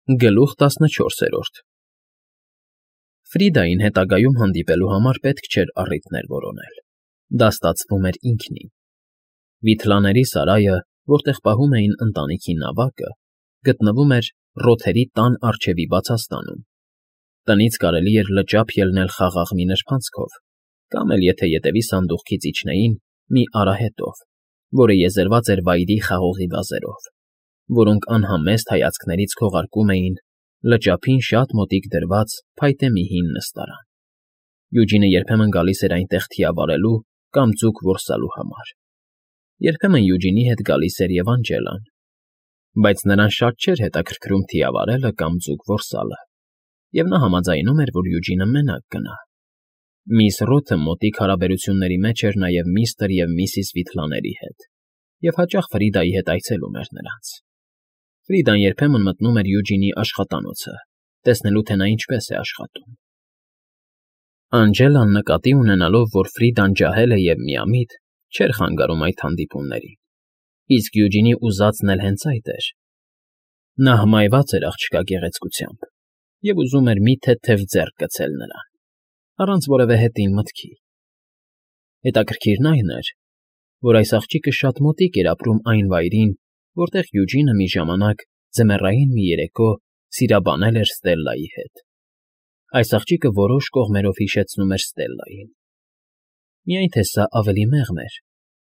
Գլուխ 14 Ֆրիդային հետագայում հանդիպելու համար պետք չէր առիթներ որոնել. դա ստացվում էր ինքնին։ Վիթլաների սարայը, որտեղ պահում էին ընտանիքի նավակը, գտնվում էր Ռոթերի տան առջևի բացաստանում։ Տնից կարելի էր լճափ ելնել խաղաղ մի նրբանցքով, կամ էլ եթե ետևի սանդուղքից իջնեին, մի արահետով, որը եզերված էր վայրի խաղողի վազերով, որոնք անհամեստ հայացքներից քողարկում էին լճափին շատ մոտիկ դրված փայտե մի հին նստարան։ Յուջինը երբեմն գալիս էր այնտեղ թիավարելու կամ ձուկ որսալու համար։ Երբեմն Յուջինի հետ գալիս էր և Անջելան, բայց նրան շատ չէր հետաքրքրում թիավարելը կամ ձուկ որսալը, և նա համաձայնում էր, որ Յուջինը մենակ գնա։ Միս Ռոթը մոտիկ հարաբերությունների մեջ էր նաև միստր և միսիս Վիթլաների հետ, և հաճախ Ֆրիդայի հետ այցելում էր նրանց։ Ֆրիդան երբեմն մտնում էր Յուջինի աշխատանոցը, տեսնելու, թե նա ինչպես է աշխատում։ Անջելան, նկատի ունենալով, որ Ֆրիդան ջահել է և միամիտ, չէր խանգարում այդ հանդիպումներին, իսկ Յուջինի ուզածն էլ հենց այդ էր։ Նա հմայված էր աղջկա գեղեցկությամբ և ուզում էր մի թեթև ձեռք գցել նրան, առանց որևէ հետին մտքի։ Հետաքրքիրն այն էր, որ այս աղջիկը շատ մոտիկ էր ապրում այն վայրին, որտեղ Յուջինը մի ժամանակ ձմեռային մի երեկո սիրաբանել էր Ստելլայի հետ։ Այս աղջիկը որոշ կողմերով հիշեցնում էր Ստելլային։ Միայն թե սա ավելի մեղմ էր,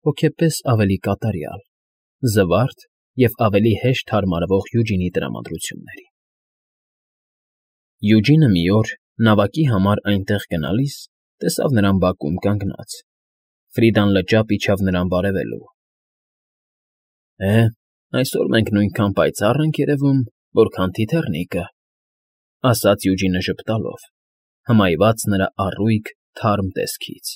հոգեպես ավելի կատարյալ, զվարթ և ավելի հեշտ հարմարվող Յուջինի տրամադրություններին։ Յուջինը մի օր, նավակի համար այնտեղ գնալիս, տեսավ նրան բակում կանգնած։ Ֆրիդան լճափ իջավ նրան բարևելու։ Այսօր մենք նույնքան պայծառ ենք երևում, որքան թիթեռնիկը, ասաց Յուջինը ժպտալով, հմայված նրա առույգ, թարմ տեսքից,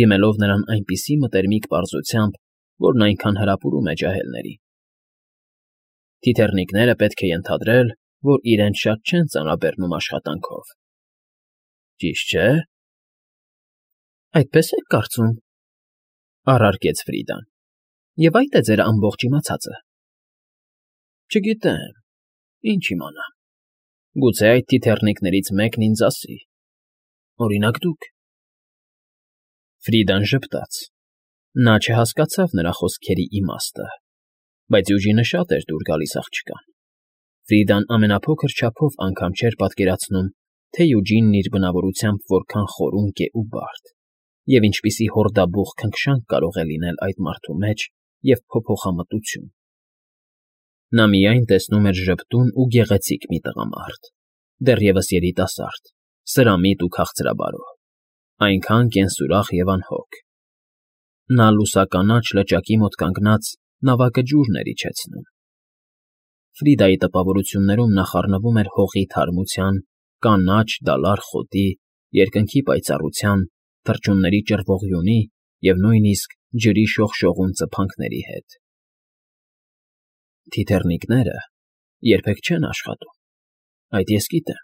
դիմելով նրան այնպիսի մտերմիկ պարզությամբ, որն այնքան հրապուրում է ջահելներին։ Թիթեռնիկները պետք է ենթադրել, որ իրենց շատ չեն ծանրաբեռնում աշխատանքով։ Ճիշտ չէ՞։ Այդպես եք կարծում, առարկեց Ֆրիդան, և այդ է ձեր ամբողջ իմացածը։ Չգիտեմ, ինչ իմանամ, գուցե այդ թիթեռնիկներից մեկն ինձ ասի, օրինակ դուք։ Ֆրիդան ժպտաց։ Նա չհասկացավ նրա խոսքերի իմաստը, բայց Յուջինը շատ էր դուր գալիս աղջկան։ Ֆրիդան ամենափոքր չափով անգամ չէր պատկերացնում, թե Յուջինն իր բնավորությամբ որքան խորունկ է ու բարդ, և ինչպիսի հորդաբուխ քնքշանք կարող է լինել այդ մարդու մեջ և փոփոխամտություն։ Նա միայն տեսնում էր ժպտուն ու գեղեցիկ մի տղամարդ, դեռևս երիտասարդ, սրամիտ ու քաղցրաբարո, այնքան կենսուրախ և անհոգ։ Նա լուսականաչ լճակի մոտ կանգնած նավակը ջուրն էր իջեցնում։ Ֆրիդայի տպավորություններում նա խառնվում էր հողի թարմության, կանաչ դալար խոտի, երկնքի պայծառության, թռչունների ճռվողյունի և նույնիսկ ջրի շողշողուն ծփանքների հետ։ Թիթեռնիկները երբեք չեն աշխատում, այդ ես գիտեմ,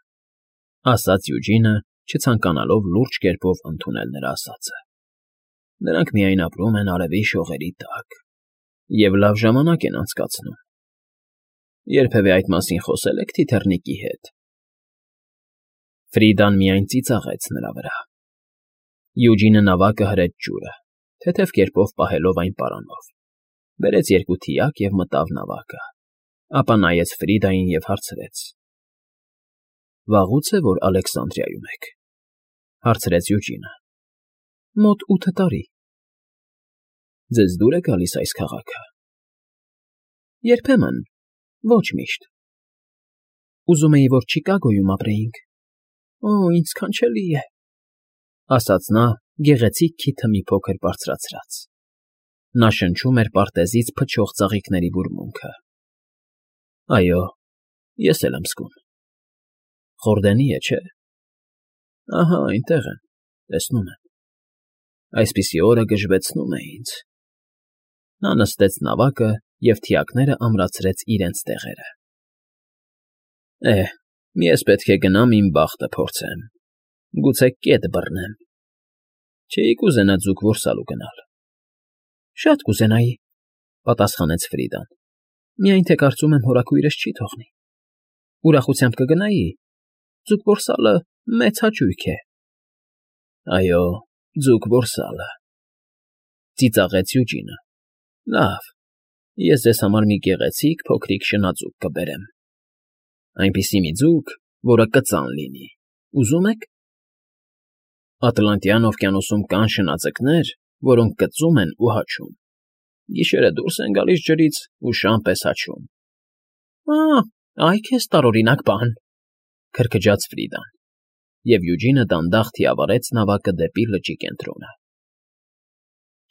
ասաց Յուջինը, չցանկանալով լուրջ կերպով ընդունել նրա ասածը։ Նրանք միայն ապրում են արևի շողերի տակ և լավ ժամանակ են անցկացնում։ Երբևէ այդ մասին խոսե՞լ եք թիթեռնիկի հետ։ Ֆրիդան միայն ծիծաղեց նրա վրա։ Յուջինը նավակը հրեց ջուրը, թեթև կերպով պահելով այն պարանով, բերեց երկու թիակ և մտավ նավակը, ապա նայեց Ֆրիդային և հարցրեց. Վաղուց է, որ Ալեքսանդրիայում եք, հարցրեց Յուջինը։ Մոտ 8 տարի։ Ձեզ դուր է գալիս այս քաղաքը։ Երբեմն, ոչ միշտ։ Ուզում էի, որ Չիկագոյում ապրեինք։ Ինչ սքանչելի է, ասաց նա գեղեցիկ քիթը մի փոքր բարձրացրած։ Նա շնչում էր պարտեզից փչող ծաղիկների բուրմունքը։ Այո, ես էլ եմ զգում։ Խորդենի է, չէ՞։ Ահա այնտեղ եմ, տեսնում եմ։ Այսպիսի օրը գժվեցնում է ինձ։ Նա նստեց նավակը և թիակները ամրացրեց իրենց տեղերը։ Ես պետք է գնամ իմ բախտը փորձեմ, գուցե կետ բռնեմ։ Չէի կուզենա ձուկ որսալու գնալ։ Շատ կուզենայի, պատասխանեց Ֆրիդան, միայն թե կարծում եմ հորաքույրս չի թողնի։ ուրախությամբ կգնայի։ Ձուկ որսալը մեծ հաճույք է։ Այո, ձուկ որսալը, ծիծաղեց Յուջինը։ Լավ, ես ձեզ համար մի գեղեցիկ փոքրիկ շնաձուկ կբերեմ։ Այնպիսի մի ձուկ, որը կծան լինի։ Ուզում եք։ Ատլանտյան օվկիանոսում կան շնաձկներ, որոնք կծում են ու հաչում։ Գիշերը դուրս են գալիս ջրից ու շան պես հաչում։ Այ քեզ տարօրինակ բան, քրքջաց Ֆրիդան, և Յուջինը դանդաղ թիավարեց նավակը դեպի լճի կենտրոնը։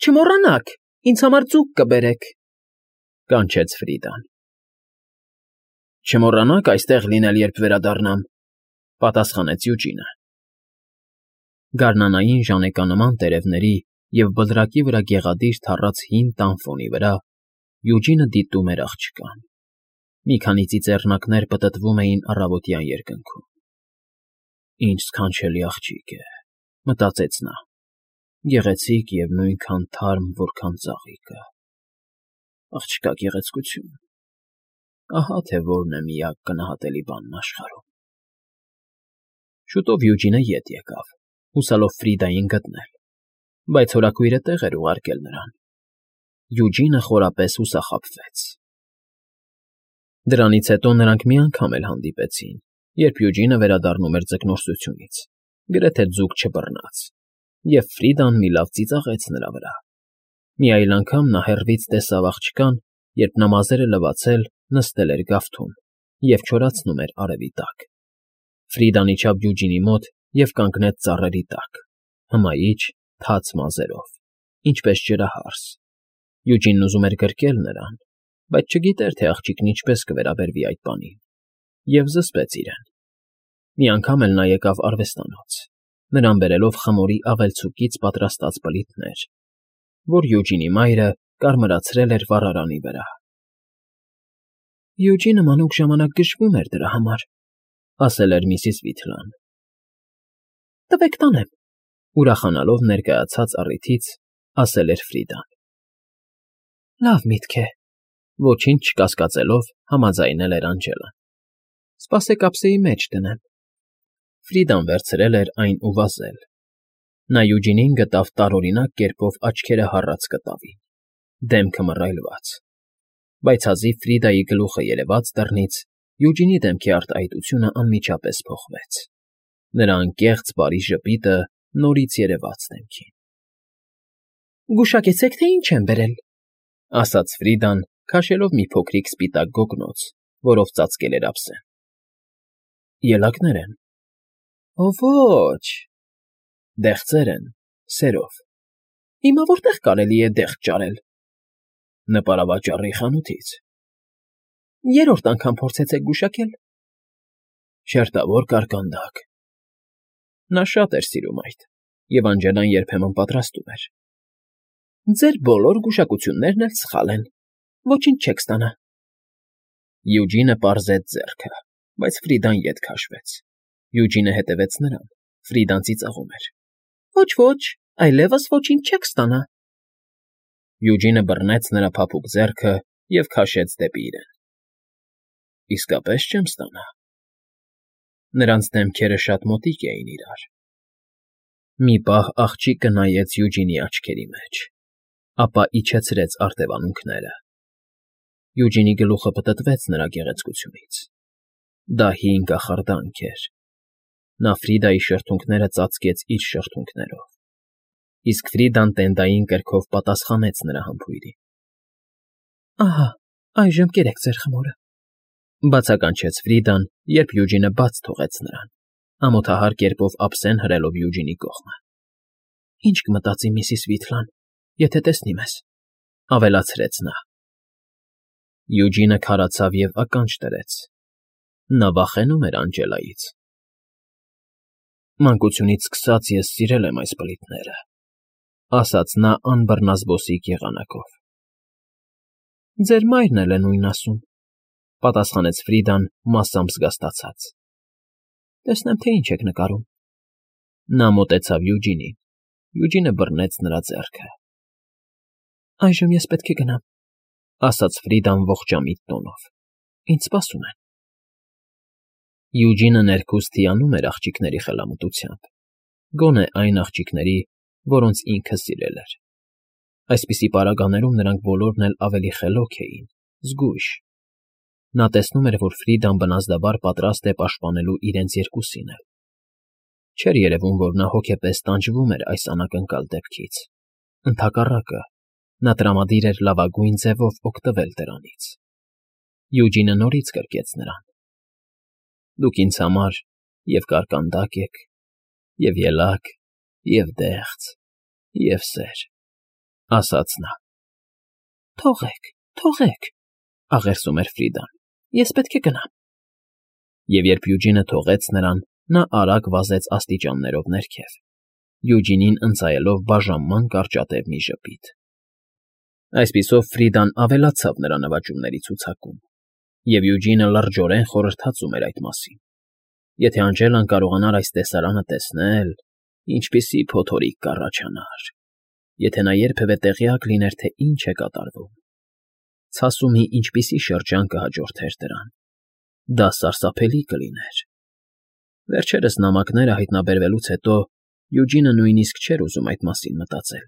Չմոռանաք, ինձ համար ձուկ կբերեք, կանչեց Ֆրիդան։ Չմոռանաք այստեղ լինել, երբ վերադառնամ, պատասխանեց Յուջինը։ Գարնանային ժանեկանման տերևների և բլրակի վրա գեղադիր թառած հին տան ֆոնի վրա Յուջինը դիտում էր աղջկան։ Մի քանի ծիծեռնակներ պտտվում էին առավոտյան երկնքում։ Ինչ սքանչելի աղջիկ է, մտածեց նա, գեղեցիկ և նույնքան թարմ, որքան ծաղիկը։ Աղջկա գեղեցկություն։ Ահա թե որն է միակ գնահատելի բանն աշխարհում։ Շուտով Յուջինը ետ եկավ, հուսալով Ֆրիդային գտնել, բայց հորաքույրը տեղ էր ուղարկել նրան։ Յուջինը խորապես հուսախաբվեց։ Դրանից հետո նրանք մի անգամ էլ հանդիպեցին, երբ Յուջինը վերադառնում էր ձկնորսությունից, գրեթե ձուկ չբռնած, և Ֆրիդան մի լավ ծիծաղեց նրա վրա։ Մի այլ անգամ նա հեռվից տեսավ աղջկան, երբ նա մազերը լվացել նստել էր գավթում և չորացնում էր արևի տակ։ Ֆրիդան իջավ Յուջինի մոտ և կանգնեց ծառերի տակ, հմայիչ, թաց մազերով, ինչպես ջրահարս։ Յուջինն ուզում էր գրկել նրան, բայց չգիտեր, թե աղջիկն ինչպես կվերաբերվի այդ բանին, և զսպեց իրեն։ Մի անգամ էլ նա եկավ արվեստանոց, նրան բերելով խմորի ավելցուկից պատրաստած բլիթներ, որ Յուջինի մայրը կարմրացրել էր վառարանի վրա։ Յուջինը մանուկ ժամանակ գժվում էր դրա համար, ասել էր միսիս Վիթլան։ Տվեք տանեմ, ուրախանալով ներկայացած առիթից, ասել էր Ֆրիդան։ Լավ միտք է, ոչինչ չկասկածելով համաձայնել էր Անջելան։ Սպասեք ափսեի մեջ դնեմ։ Ֆրիդան վերցրել էր այն ու վազել։ Նա Յուջինին գտավ տարօրինակ կերպով աչքերը հառած կտավին, դեմքը մռայլված, բայց հազիվ Ֆրիդայի գլուխը երևաց դռնից, Յուջինի դեմքի արտահայտությունը անմիջապես փոխվեց։ Նրա անկեղծ բարի ժպիտը նորից երևաց դեմքին։ Գուշակեցեք, թե ինչ եմ բերել, ասաց Ֆրիդան, քաշելով մի փոքրիկ սպիտակ գոգնոց, որով ծածկել էր ափսեն։ Ելակներ են։ Ոչ, դեղձեր են, սերով։ Հիմա որտեղ կարելի է դեղձ ճարել։ Նպարավաճառի խանութից։ Երրորդ անգամ փորձեցեք գուշակել։ Շերտավոր կարկանդակ։ Նա շատ էր սիրում այդ, և Անջելան երբեմն պատրաստում էր։ Ձեր բոլոր գուշակություններն էլ սխալ են, ոչինչ չեք ստանա։ Յուջինը պարզեց ձեռքը, բայց Ֆրիդան ետ քաշվեց։ Յուջինը հետևեց նրան, Ֆրիդան ծիծաղում էր։ Ոչ, այլևս ոչինչ չեք ստանա։ Յուջինը բռնեց նրա փափուկ ձեռքը և քաշեց դեպի իրեն։ Իսկապես չեմ ստանա։ Նրանց դեմքերը շատ մոտիկ էին իրար։ Մի պահ աղջիկը նայեց Յուջինի աչքերի մեջ, ապա իջեցրեց արտևանունքները։ Յուջինի գլուխը պտտվեց նրա գեղեցկությունից։ Դա հին կախարդանք էր։ Նա Ֆրիդայի շրթունքները ծածկեց իր շրթունքներով, իսկ Ֆրիդան տենդային կրքով պատասխանեց նրա համբույրին։ Ահա, այժմ կերեք ձեր խմորը, բացականչեց Ֆրիդան, երբ Յուջինը բաց թողեց նրան, ամոթահար կերպով ափսեն հրելով Յուջինի կողմը։ Ինչ կմտածի միսիս Վիթլան, եթե տեսնի մեզ, ավելացրեց նա։ Յուջինը քարացավ և ականջ դրեց։ Նա վախենում էր Անջելայից։ Մանկությունից սկսած ես սիրել եմ այս բլիթները, ասաց նա անբռնազբոսիկ եղանակով։ Ձեր մայրն էլ է նույնն ասում, պատասխանեց Ֆրիդան մասամբ զգաստացած։ Տեսնեմ, թե ինչ եք նկարում։ Նա մոտեցավ Յուջինին։ Յուջինը բռնեց նրա ձեռքը։ Այժմ ես պետք է գնամ, ասաց Ֆրիդան ողջամիտ տոնով։ Ինձ սպասում են։ Յուջինը ներքուստ հիանում էր աղջիկների խելամտությամբ, գոնե այն աղջիկների, որոնց ինքը սիրել էր։ Այսպիսի պարագաներում նրանք բոլորն էլ ավելի խելոք էին, զգույշ։ Նա տեսնում էր, որ Ֆրիդան բնազդաբար պատրաստ է պաշտպանելու իրենց երկուսին էլ։ Չէր երևում, որ նա հոգեպես տանջվում էր այս անակնկալ դեպքից։ Ընդհակառակը, նա տրամադիր էր լավագույն ձևով օգտվել դրանից։ Յուջինը նորից կրկեց նրան. «Դուք ինձ համար և կարկանդակ եք, և ելակ, և դեղց, և սեր», ասաց նա։ «Թողեք, թողեք», աղերսում էր Ֆրիդան, «ես պետք է գնամ»։ Եվ երբ Յուջինը թողեց նրան, նա արագ վազեց աստիճաններով ներքև, Յուջինին ընծայելով բաժանման կարճատև մի ժպիտ։ Այսպիսով Ֆրիդան ավելացավ նրա նվաճումների ցուցակում, և Յուջինը լրջորեն խորհրդածում էր այդ մասին։ Եթե Անջելան կարողանար այս տեսարանը տեսնել, ինչպիսի փոթորիկ կառաջանար, եթե նա երբևէ տեղյակ լիներ, թե ինչ է կատարվում, ցասումի ինչպիսի շրջան կհաջորդեր դրան, դա սարսափելի կլիներ։ Վերջերս նամակները հայտնաբերվելուց հետո Յուջինը նույնիսկ չէր ուզում այդ մասին մտածել,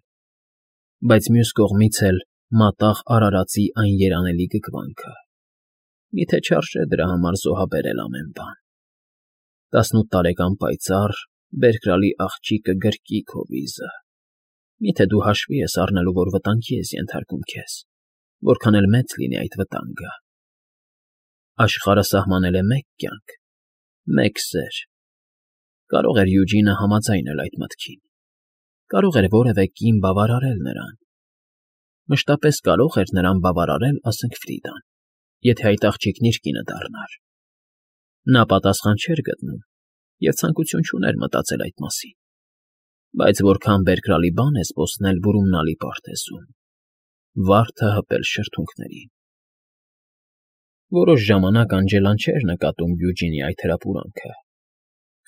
բայց մյուս կողմից էլ մատաղ արարածի այն երանելի գգվանքը։ Միթե չարժե դրա համար զոհաբերել ամեն բան։ 18 տարեկան պայծառ, բերկրալի աղջիկը գրկի քո վիզը։ Միթե դու հաշվի ես առնելու, որ վտանգի ես ենթարկում քեզ, որքան էլ մեծ լինի այդ վտանգը։ Աշխարհը սահմանել է մեկ կյանք, մեկ սեր։ Կարող էր Յուջինը համաձայնել այդ մտքին։ Կարող էր որևէ կին բավարարել նրան։ Մշտապես կարող էր նրան բավարարել, ասենք Ֆրիդան, եթե այդ աղջիկն իր կինը դառնար։ Նա պատասխան չէր գտնում և ցանկություն չուներ մտածել այդ մասին։ Բայց որքան բերկրալի բան է զբոսնել բուրումնալի պարտեզում, վարդը հպել շրթունքներին։ Որոշ ժամանակ Անջելան չէր նկատում Յուջինի այդ հրապուրանքը։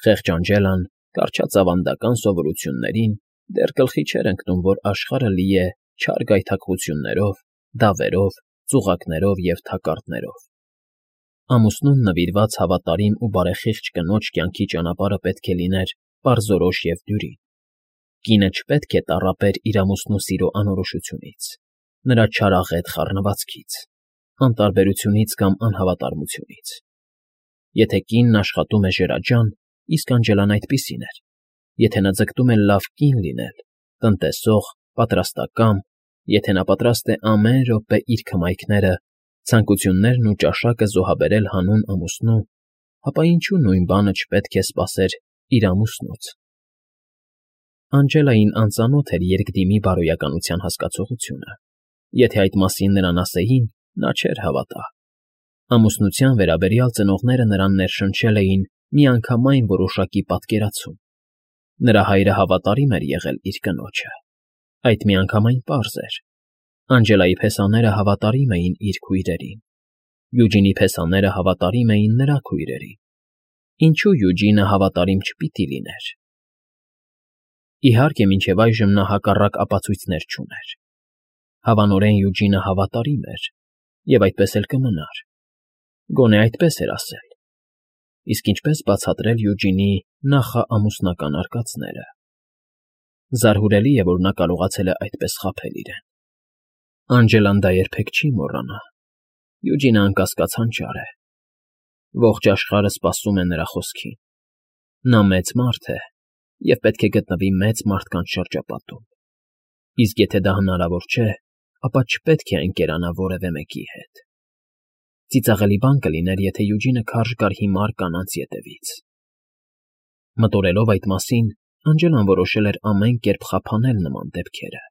Խեղճ Անջելան, կառչած ավանդական սովորություններին, դեռ գլխի չէր ընկնում, որ աշխարհը լի է չար գայթակղություններով, դավերով, ծուղակներով և թակարդներով։ Ամուսնուն նվիրված հավատարիմ ու բարեխիղճ կնոջ կյանքի ճանապարհը պետք է լիներ պարզորոշ և դյուրին։ Կինը չպետք է տառապեր իր ամուսնու սիրո անորոշությունից, նրա չարաղետ խառնվածքից, անտարբերությունից կամ անհավատարմությունից։ Եթե կինն աշխատում է ժրաջան, իսկ Անջելան այդպիսին էր, եթե նա ձգտում է լավ կին լինել, տնտեսող, պատրաստակամ, եթե նա պատրաստ է ամեն րոպե իր քմայքները, ցանկություններն ու ճաշակը զոհաբերել հանուն ամուսնու, ապա ինչու նույն բանը չպետք է սպասեր իր ամուսնուց։ Անջելային անծանոթ էր երկդիմի բարոյականության հասկացողությունը։ Եթե այդ մասին նրան ասեին, նա չէր հավատա։ Ամուսնության վերաբերյալ ծնողները նրան ներշնչել էին միանգամայն որոշակի պատկերացում։ Նրա հայրը հավատարիմ էր եղել իր կնոջը։ Այդ միանգամայն պարզ էր։ Անջելայի փեսաները հավատարիմ էին իր քույրերին։ Յուջինի փեսաները հավատարիմ էին նրա քույրերին։ Ինչու Յուջինը հավատարիմ չպիտի լիներ։ Իհարկե, մինչև այժմ նա հակառակ ապացույցներ չուներ։ Հավանորեն Յուջինը հավատարիմ էր, և այդպես էլ կմնար։ Գոնե այդպես էր ասել։ Իսկ ինչպես բացատրել Յուջինի նախաամուսնական արկածները։ Զարհուրելի է, որ նա կարողացել է այդպես խաբել իրեն։ Անջելան դա երբեք չի մոռանա։ Յուջինը անկասկած հանճար է։ Ողջ աշխարհը սպասում է նրա խոսքին։ Նա մեծ մարդ է և պետք է գտնվի մեծ մարդկանց շրջապատում։ Իսկ եթե դա հնարավոր չէ, ապա չպետք է ընկերանա որևէ մեկի հետ։ Ծիծաղելի բան կլիներ, եթե Յուջինը քարշ գար հիմար կանանց ետևից։ Մտորելով այդ մասին, Անջելան որոշել էր ամեն կերպ խափանել նման դեպքերը։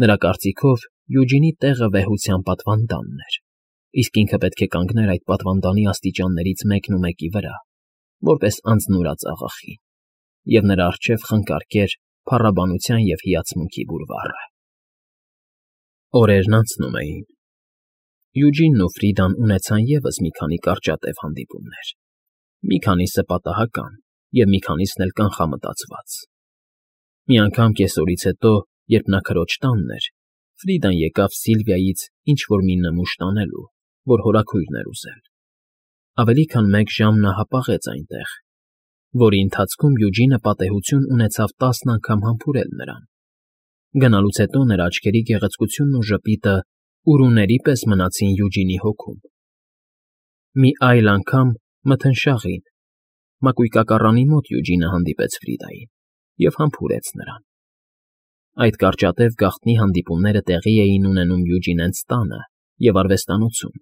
Նրա կարծիքով Յուջինի տեղը վեհության պատվանդանն էր, իսկ ինքը պետք է կանգներ այդ պատվանդանի աստիճաններից մեկնումեկի վրա, որպես անձնուրաց աղախին, և նրա առջև խնկարկեր փառաբանության և հիացմունքի բուրվառը։ Օրերն անցնում էին։ Յուջինն ու Ֆրիդան ունեցան ևս մի քանի կարճատև հանդիպումներ, մի քանիսը պատահական և մի քանիսն էլ կանխամտածված։ Մի անգամ կեսօրից հետո, երբ նա քրոջ տանն էր, Ֆրիդան եկավ Սիլվիայից ինչ֊որ մի նմուշ տանելու, որ հորաքույրն էր ուզել։ Ավելի քան մեկ ժամ նա հապաղեց այնտեղ, որի ընթացքում Յուջինը պատեհություն ունեցավ 10 անգամ համբուրել նրան։ Գնալուց հետո նրա աչքերի գեղեցկությունն ու ժպիտը ուրուների պես մնացին Յուջինի հոգում։ Մի այլ անգամ մթնշաղին, մակույկակառանի մոտ Յուջինը հանդիպեց Ֆրիդային և համբուրեց նրան։ Այդ կարճատև գաղտնի հանդիպումները տեղի էին ունենում Յուջինենց տանը և արվեստանոցում,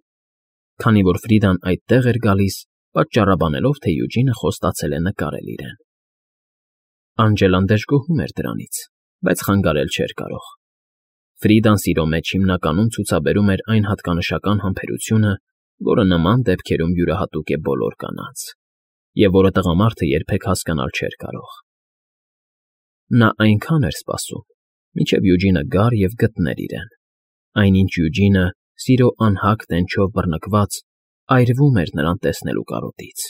քանի որ Ֆրիդան այդտեղ էր գալիս, պատճառաբանելով, թե Յուջինը խոստացել է նկարել իրեն։ Անջելան դժգոհում էր դրանից, բայց խանգարել չէր կարող։ Ֆրիդան սիրո մեջ հիմնականում ցուցաբերում էր այն հատկանշական համբերությունը, որը նման դեպքերում յուրահատուկ է բոլոր կանանց, և որը տղամարդը երբեք հասկանալ չէր կարող։ Նա այնքան էր սպասում, մինչև Յուջինը գար և գտներ իրեն, այնինչ Յուջինը, սիրո անհագ տենչով բռնկված, այրվում էր նրան տեսնելու կարոտից։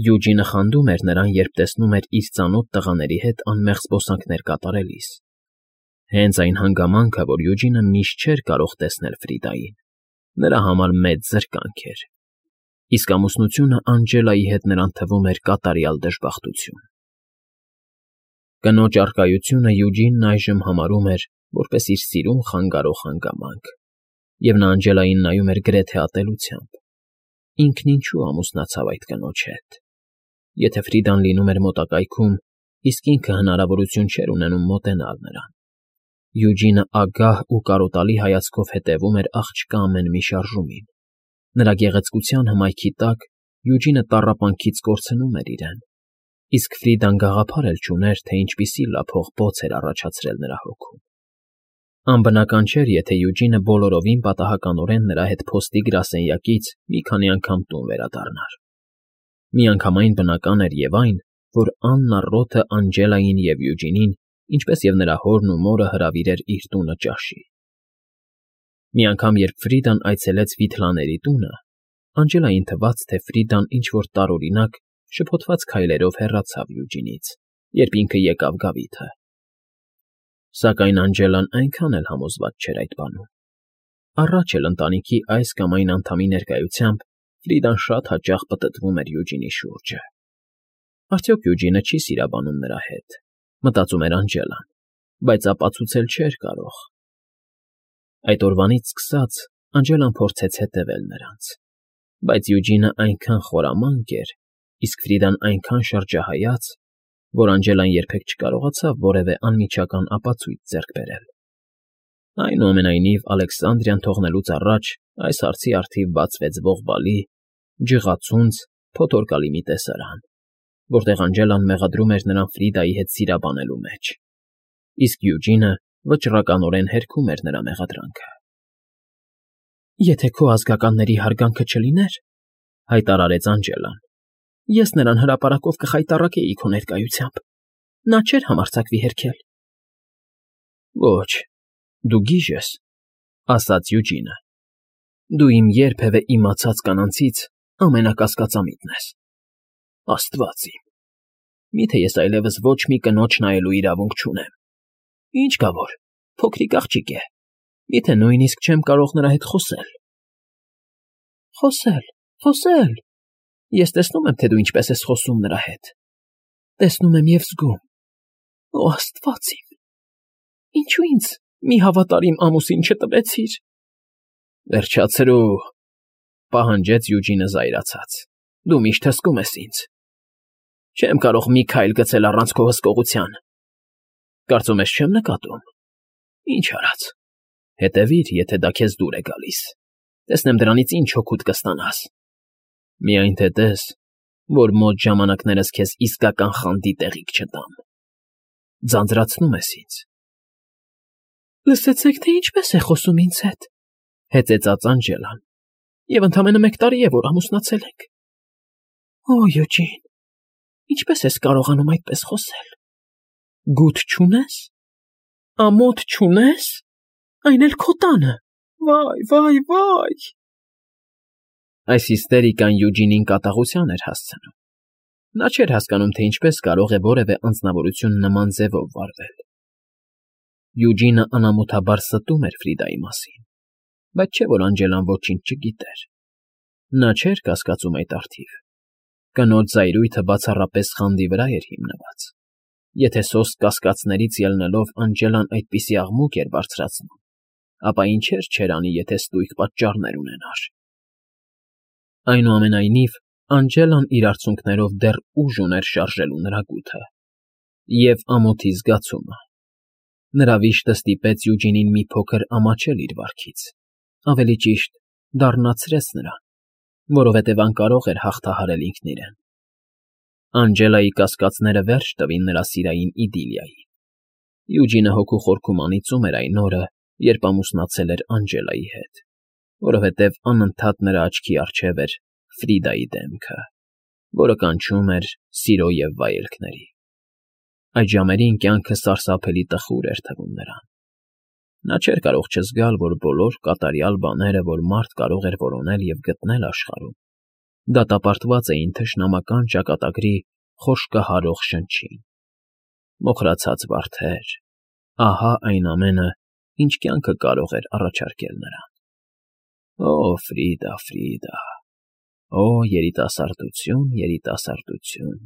Յուջինը խանդում էր նրան, երբ տեսնում էր իր ծանոթ տղաների հետ անմեղ զբոսանքներ կատարելիս։ Հենց այն հանգամանքը, որ Յուջինը միշտ չէր կարող տեսնել Ֆրիդային, նրա համար մեծ զրկանք էր, իսկ ամուսնությունը Անջելայի հետ նրան թվում էր կատարյալ դժբախտություն։ Կնոջ առկայությունը Յուջինն այժմ համարում էր որպես իր սիրուն խանգարող հանգամանք, և նա Անջելային նայում էր գրեթե ատելությամբ։ Ինքն ինչու ամուսնացավ այդ կնոջ հետ։ Եթե Ֆրիդան լինում էր մոտակայքում, իսկ ինքը հնարավորություն չէր ունենում մոտենալ նրան։ Յուջինը ագահ ու կարոտալի հայացքով հետևում էր աղջկա ամեն մի շարժումին։ Նրա գեղեցկության հմայքի տակ Յուջինը տառապանքից կորցնում էր իրեն, իսկ Ֆրիդան գաղափար էլ չուներ, թե ինչպիսի լափող բոց էր առաջացրել նրա հոգում։ Անբնական չէր, եթե Յուջինը բոլորովին պատահականորեն նրա հետ փոստի գրասենյակից մի քանի անգամ տուն վերադառնար։ Միանգամայն բնական էր և այն, որ Աննա Ռոթը Անջելային և Յուջինին, ինչպես և նրա հորն ու մորը հրավիրեր իր տունը ճաշի։ Մի անգամ, երբ Ֆրիդան այցելեց Վիթլաների տունը, Անջելային թվաց, թե Ֆրիդան ինչ֊որ տարօրինակ, շփոթված քայլերով հեռացավ Յուջինից, երբ ինքը եկավ գավիթը։ Սակայն Անջելան այնքան էլ համոզված չէր այդ բանում։ Առաջ էլ ընտանիքի այս կամ այն անդամի ներկայությամբ Ֆրիդան շատ հաճախ պտտվում էր Յուջինի շուրջը։ Արդյոք Յուջինը չի սիրաբանում նրա հետ, մտածում էր Անջելան, բայց ապացուցել չէր կարող։ Այդ օրվանից սկսած Անջելան փորձեց հետևել նրանց, բայց Յուջինը այնքան խորամանկ էր, իսկ Ֆրիդան այնքան շրջահայաց, որ Անջելան երբեք չկարողացավ որևէ անմիջական ապացույց ձեռք բերել։ Այնուամենայնիվ, Ալեքսանդրիան թողնելուց առաջ այս հարցի առթիվ բացվեց ողբալի, ջղացունց, փոթորկալի մի տեսարան, որտեղ Անջելան մեղադրում էր նրան Ֆրիդայի հետ սիրաբանելու մեջ, իսկ Յուջինը վճռականորեն հերքում էր նրա մեղադրանքը։ «Եթե քո ազգականների հարգանքը չլիներ,֊ հայտարարեց Անջելան,֊ ես նրան հրապարակով կխայտառակեի քո ներկայությամբ, նա չէր համարձակվի հերքել»։ «Ոչ, դու գիժ ես,֊ ասաց Յուջինը,֊ դու իմ երբևէ իմացած կանանցից ամենակասկածամիտն ես։ Աստված իմ, միթե ես այլևս ոչ մի կնոջ նայելու իրավունք չունեմ։ Ինչ կա որ, փոքրիկ աղջիկ է, միթե նույնիսկ չեմ կարող նրա հետ խոսել։ Խոսել… Ես տեսնում եմ, թե դու ինչպես ես խոսում նրա հետ։ Տեսնում եմ և զգում։ Օ, Աստված իմ… Ինչու ինձ մի հավատարիմ ամուսին չտվեցիր։ Վերջացրու,֊ պահանջեց Յուջինը զայրացած։ Դու միշտ հսկում ես ինձ։ Չեմ կարող մի քայլ գցել առանց քո հսկողության։ Կարծում ես չեմ նկատում։ Ինչ արած։ Հետևիր, եթե դա քեզ դուր է գալիս։ Տեսնեմ դրանից ինչ օգուտ կստանաս։ Միայն թե տես, որ մոտ ժամանակներս քեզ իսկական խանդի տեղիք չտամ։ Ձանձրացնում ես ինձ։ Լսեցեք, թե ինչպես է խոսում ինձ հետ,֊ հեծեծաց Անջելան,֊ և ընդամենը 1 տարի է, որ ամուսնացել ենք։ Օ, Յուջին, ինչպես ես կարողանում այդպես խոսել։ Գութ չունես։ Ամոթ չունես։ Այն էլ քո տանը։ Վայ… Այս հիստերիկան Յուջինին կատաղության էր հասցնում։ Նա չէր հասկանում, թե ինչպես կարող է որևէ անձնավորություն նման ձևով վարվել։ Յուջինը անամոթաբար ստում էր Ֆրիդայի մասին, բայց չէ որ Անջելան ոչինչ չգիտեր։ Նա չէր կասկածում այդ առթիվ. կնոջ զայրույթը բացառապես խանդի վրա էր հիմնված. եթե սոսկ կասկածներից ելնելով Անջելան այդպիսի աղմուկ էր բարձրացնում, ապա ինչեր չէր անի, եթե ստույգ պատճառներ ունենար։ Այնուամենայնիվ, Անջելան իր արցունքներով դեռ ուժ ուներ շարժելու նրա գութը և ամոթի զգացումը։ Նրա վիշտը ստիպեց Յուջինին մի փոքր ամաչել իր վարքից, ավելի ճիշտ, դառնացրեց նրան, որովհետև անկարող էր հաղթահարել ինքն իրեն։ Անջելայի կասկածները վերջ տվին նրա սիրային իդիլիային։ Յուջինը հոգու խորքում անիծում էր այն օրը, երբ ամուսնացել էր Անջելայի հետ, որովհետև անընդհատ նրա աչքի առջև էր Ֆրիդայի դեմքը, որը կանչում էր սիրո և վայելքների։ Այդ ժամերին կյանքը սարսափելի տխուր էր թվում նրան։ Նա չէր կարող չզգալ, որ բոլոր կատարյալ բաները, որ մարդ կարող էր որոնել և գտնել աշխարհում, դատապարտված էին թշնամական ճակատագրի խոշկահարող շնչին։ Մոխրացած վարդեր, ահա այն ամենը, ինչ կյանքը կարող էր առաջարկել նրան։ Օ, Ֆրիդա, Ֆրիդա, օ, երիտասարդություն, երիտասարդություն…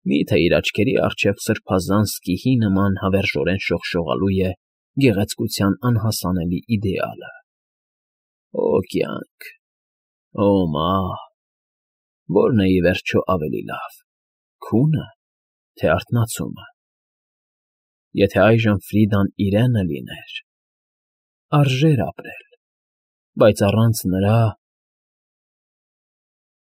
Մի՞թե իր աչքերի առջև սրբազան սկիհի նման հավերժորեն շողշողալու է գեղեցկության անհասանելի իդեալը։ Օ, կյանք, օ, մահ… Ո՞րն է, ի վերջո, ավելի լավ՝ քո՞ւնը, թե արթնացումը։ Եթե այժմ Ֆրիդան իրենը լիներ, արժեր ապրել, բայց առանց նրա